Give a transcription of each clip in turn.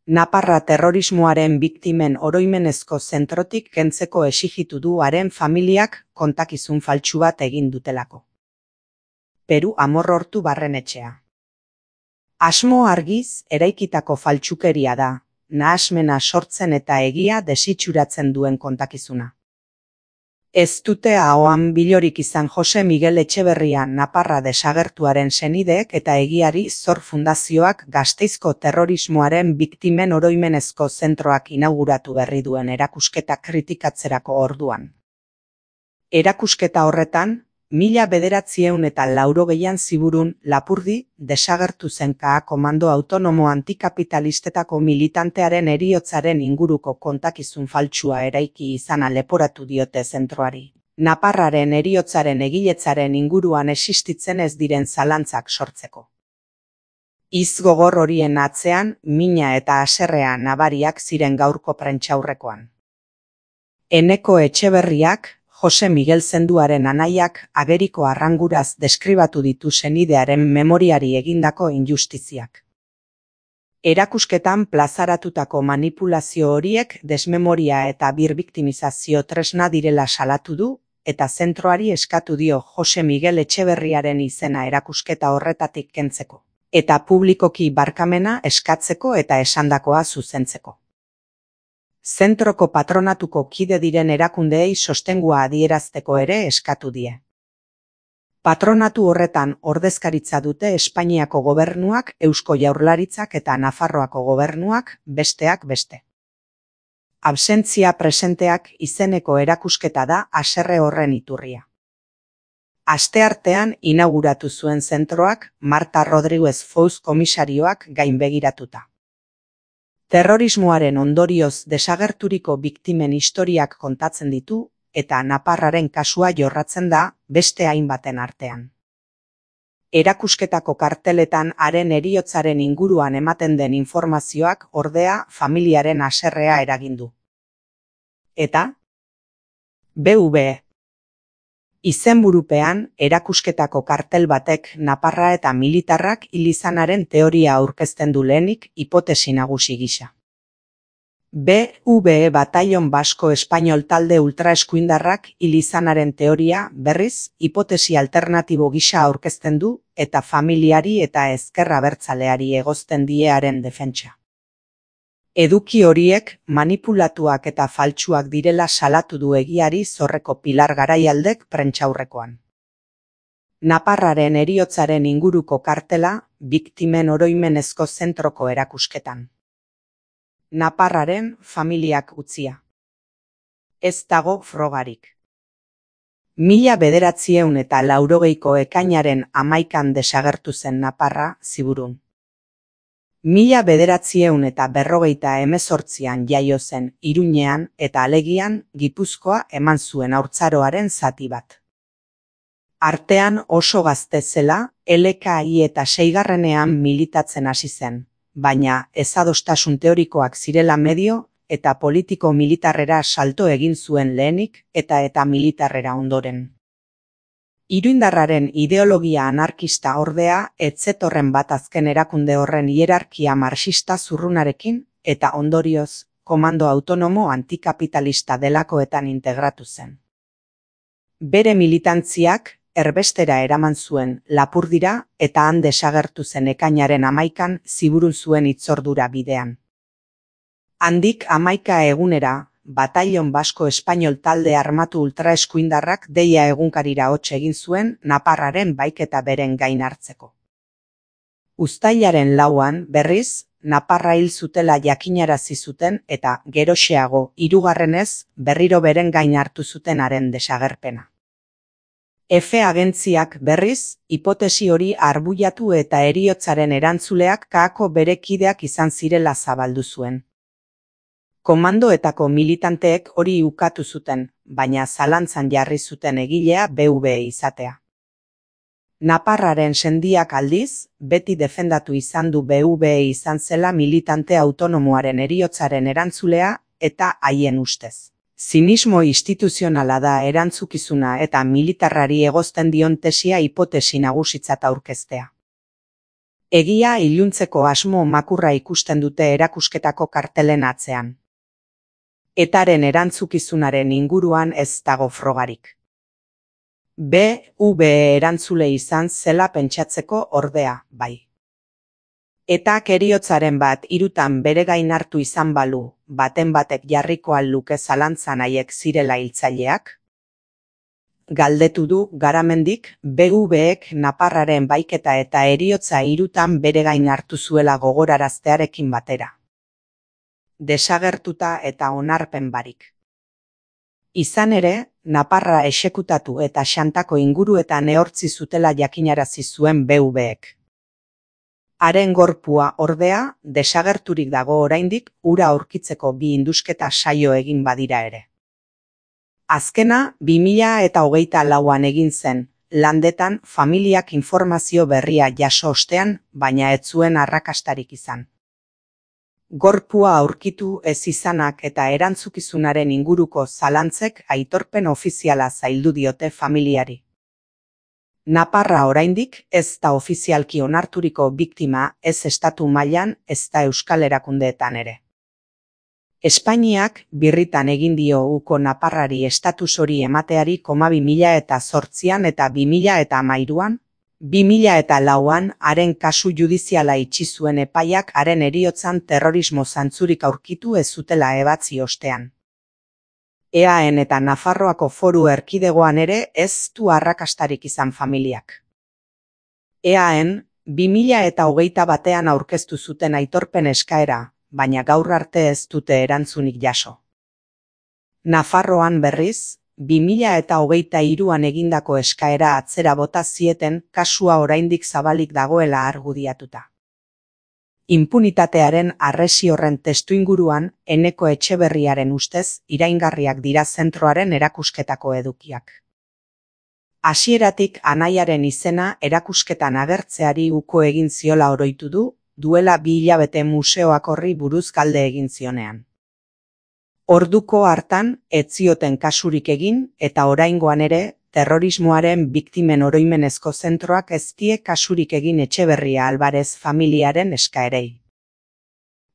Naparra terrorismoaren biktimen oroimenezko zentrotik kentzeko exijitu du haren familiak kontakizun faltsu bat egin dutelako. Peru Amorrortu Barrenetxea. Asmo argiz eraikitako faltsukeria da, nahasmena sortzen eta egia desitxuratzen duen kontakizuna. Ez dute ahoan bilorik izan Jose Miguel Etxeberria Naparra desagertuaren senideek eta Egiari Zor Fundazioak Gasteizko terrorismoaren biktimen oroimenezko zentroak inauguratu berri duen erakusketa kritikatzerako orduan. Erakusketa horretan, 1980 ziburun Lapurdi desagertu zen KA Komando Autonomo Antikapitalistetako militantearen heriotzaren inguruko kontakizun faltsua eraiki izana leporatu diote zentroari. Naparraren heriotzaren egiletzaren inguruan existitzen ez diren zalantzak sortzeko. Hitz gogor horien atzean mina eta haserrea nabariak ziren gaurko prentsaurrekoan. Eneko Etxeberriak, Jose Miguel Zenduaren anaiak ageriko arranguraz deskribatu ditu senidearen memoriari egindako injustiziak. Erakusketan plazaratutako manipulazio horiek desmemoria eta birbiktimizazio tresna direla salatu du, eta zentroari eskatu dio Jose Miguel Etxeberriaren izena erakusketa horretatik kentzeko, eta publikoki barkamena eskatzeko eta esandakoa zuzentzeko. Zentroko patronatuko kide diren erakundeei sostengua adierazteko ere eskatu die. Patronatu horretan ordezkaritza dute Espainiako gobernuak, Eusko Jaurlaritzak eta Nafarroako gobernuak, besteak beste. Absentzia presenteak izeneko erakusketa da haserre horren iturria. Asteartean inauguratu zuen zentroak Marta Rodríguez Fouz komisarioak gainbegiratuta. Terrorismoaren ondorioz desagerturiko biktimen historiak kontatzen ditu eta Naparraren kasua jorratzen da beste hainbaten artean. Erakusketako karteletan haren heriotzaren inguruan ematen den informazioak ordea familiaren haserrea eragin du. Eta BV. Izenburupean erakusketako kartel batek Naparra eta militarrak hil izanaren teoria aurkezten du lehenik hipotesi nagusi gisa. BV Batallon Basko Espainol talde ultraeskuindarrak hil izanaren teoria berriz hipotesi alternatibo gisa aurkezten du eta familiari eta ezker abertzaleari egozten die haren defentsa. Eduki horiek manipulatuak eta faltsuak direla salatu du Egiari Zorreko Pilar Garaialdek prentsaurrekoan. Naparraren heriotzaren inguruko kartela biktimen oroimenezko zentroko erakusketan. Naparraren familiak utzia. Ez dago frogarik. 1980ko ekainaren 11an desagertu zen Naparra ziburun. 1948an jaio zen Iruñean eta Alegian Gipuzkoa eman zuen haurtzaroaren zati bat. Artean oso gazte zela, LKI eta 6ean militatzen hasi zen, baina ezadostasun teorikoak zirela medio eta politiko-militarrera salto egin zuen lehenik eta militarrera ondoren. Iruindarraren ideologia anarkista ordea ez zetorren bat azken erakunde horren hierarkia marxista zurrunarekin eta ondorioz komando autonomo antikapitalista delakoetan integratu zen. Bere militantziak erbestera eraman zuen Lapurdira eta han desagertu zen ekainaren 11an ziburun zuen hitzordura bidean. Handik 11 egunera, Batallon Basko Espainol talde armatu ultraeskuindarrak deia egunkarira hots egin zuen Naparraren baiketa beren gain hartzeko. Uztailaren 4an, berriz, Naparra hil zutela jakinarazi zuten eta geroxeago 3. berriro beren gain hartu zuten haren desagerpena. F agentziak berriz, hipotesi hori arbuiatu eta heriotzaren erantzuleak KAko bere kideak izan zirela zabaldu zuen. Komandoetako militanteek hori ukatu zuten, baina zalantzan jarri zuten egilea BV izatea. Naparraren sendiak aldiz, beti defendatu izan du BV izan zela militante autonomoaren heriotzaren erantzulea eta haien ustez. Zinismo instituzionala da erantzukizuna eta militarrari egozten dion tesia hipotesi nagusitzat aurkeztea. Egia iluntzeko asmo makurra ikusten dute erakusketako kartelen atzean. Etaren erantzukizunaren inguruan ez dago frogarik. BV erantzule izan zela pentsatzeko ordea, bai. Etak heriotzaren bat hirutan bere gain hartu izan balu, baten batek jarriko al luke zalantzan haiek zirela hiltzaileak? Galdetu du Garamendik, BV-ek naparraren baiketa eta heriotza hirutan bere gain hartu zuela gogoraraztearekin batera. Desagertuta eta onarpen barik. Izan ere, naparra exekutatu eta xantako inguruetan ehortzi zutela jakinarazi zuen BV-ek. Haren gorpua, ordea, desagerturik dago oraindik ura aurkitzeko bi indusketa saio egin badira ere. Azkena 2024an egin zen, Landetan familiak informazio berria jaso ostean, baina ez zuen arrakastarik izan. Gorpua aurkitu ez izanak eta erantzukizunaren inguruko zalantzek aitorpen ofiziala zaildu diote familiari. Naparra oraindik ez da ofizialki onarturiko biktima ez estatu mailan ez da euskal erakundeetan ere. Espainiak birritan egin dio uko naparrari estatus hori emateari 2008an eta 2013an, 2004an haren kasu judiziala itxi zuen epaiak haren heriotzan terrorismo zantzurik aurkitu ez zutela ebatzi ostean. EAN eta Nafarroako Foru Erkidegoan ere ez du arrakastarik izan familiak. EAN 2021an aurkeztu zuten aitorpen eskaera, baina gaur arte ez dute erantzunik jaso. Nafarroan berriz, 2023an egindako eskaera atzera bota zieten kasua oraindik zabalik dagoela argudiatuta. Inpunitatearen arresi horren testuinguruan Eneko Etxeberriaren ustez iraingarriak dira zentroaren erakusketako edukiak. Hasieratik anaiaren izena erakusketan agertzeari uko egin ziola oroitu du, duela 2 hilabete museoak horri buruz galde egin zionean. Orduko hartan ez zioten kasurik egin eta oraingoan ere terrorismoaren biktimen oroimenezko zentroak ez die kasurik egin Etxeberria Alvarez familiaren eskaerei.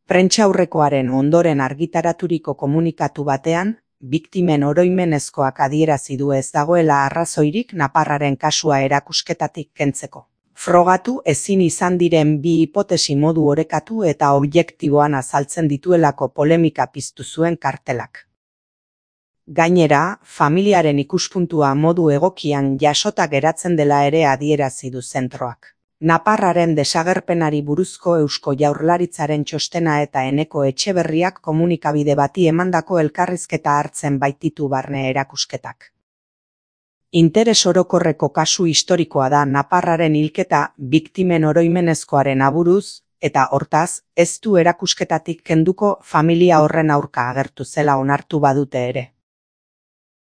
Prentsaurrekoaren ondoren argitaraturiko komunikatu batean, biktimen oroimenezkoak adierazi du ez dagoela arrazoirik naparraren kasua erakusketatik kentzeko. Frogatu ezin izan diren bi hipotesi modu orekatu eta objektiboan azaltzen dituelako polemika piztu zuen kartelak. Gainera, familiaren ikuspuntua modu egokian jasota geratzen dela ere adierazi du zentroak. Naparraren desagerpenari buruzko Eusko Jaurlaritzaren txostena eta Eneko Etxeberriak komunikabide bati emandako elkarrizketa hartzen baititu barne erakusketak. Interes orokorreko kasu historikoa da naparraren hilketa biktimen oroimenezkoaren aburuz, eta hortaz, ez du erakusketatik kenduko familia horren aurka agertu zela onartu badute ere.